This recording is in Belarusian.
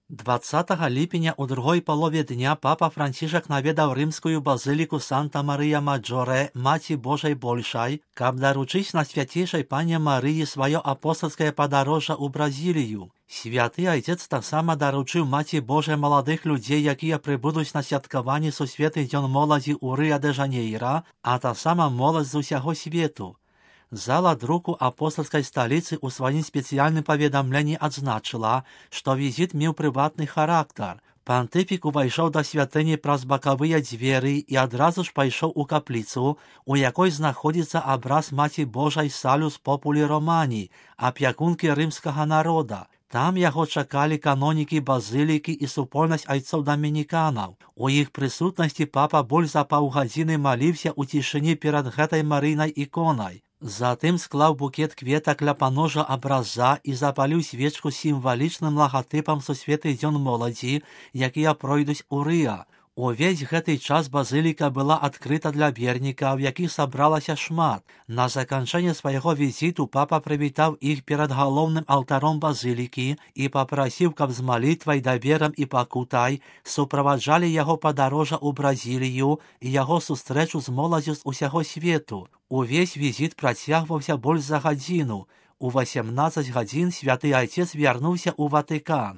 20 ліпеня ў другой палове дня папа Францішак наведаў рымскую базыліку Санта-Марыя-Маджоре, Маці Божай Большай, каб даручыць на свяцейшай пане Марыі сваё апостальскае падарожжа ў Бразілію. Святы айцец таксама даручыў Маці Божай маладых людзей, якія прыбудуць на святкаванні сусветны дзён моладзі ў Рыа-дэ-Жанейра, а таксама моладзь з усяго свету. Зала друку апостальскай сталіцы ў сваім спецыяльным паведамленні адзначыла, што візіт меў прыватны характар. Пантыфік увайшоў да святыні праз бакавыя дзверы і адразу ж пайшоў у капліцу, у якой знаходзіцца абраз Маці Божай Салюс Популі Романі, апякункі рымскага народа. Там яго чакалі канонікі базылікі і супольнасць айцоў дамініканаў. У іх прысутнасці папа больш за паўгадзіны маліўся ў цішыні перад гэтай марыйнай іконай. Затым склаў букет кветак ля паножа абраза і запаліў свечку з сімвалічным лагатыпам сусветны дзён моладзі, якія пройдуць у Рыа. Увесь гэты час базыліка была адкрыта для вернікаў, якіх сабралася шмат. На заканчэнне свайго візіту папа прывітаў іх перад галоўным алтаром базылікі і папрасіў, каб з малітвай, даверам і пакутай суправаджалі яго падарожжа ў Бразілію і яго сустрэчу з моладзю з усяго свету. Увесь візіт працягваўся больш за гадзіну. У 18 гадзін святы айцец вярнуўся ў Ватыкан.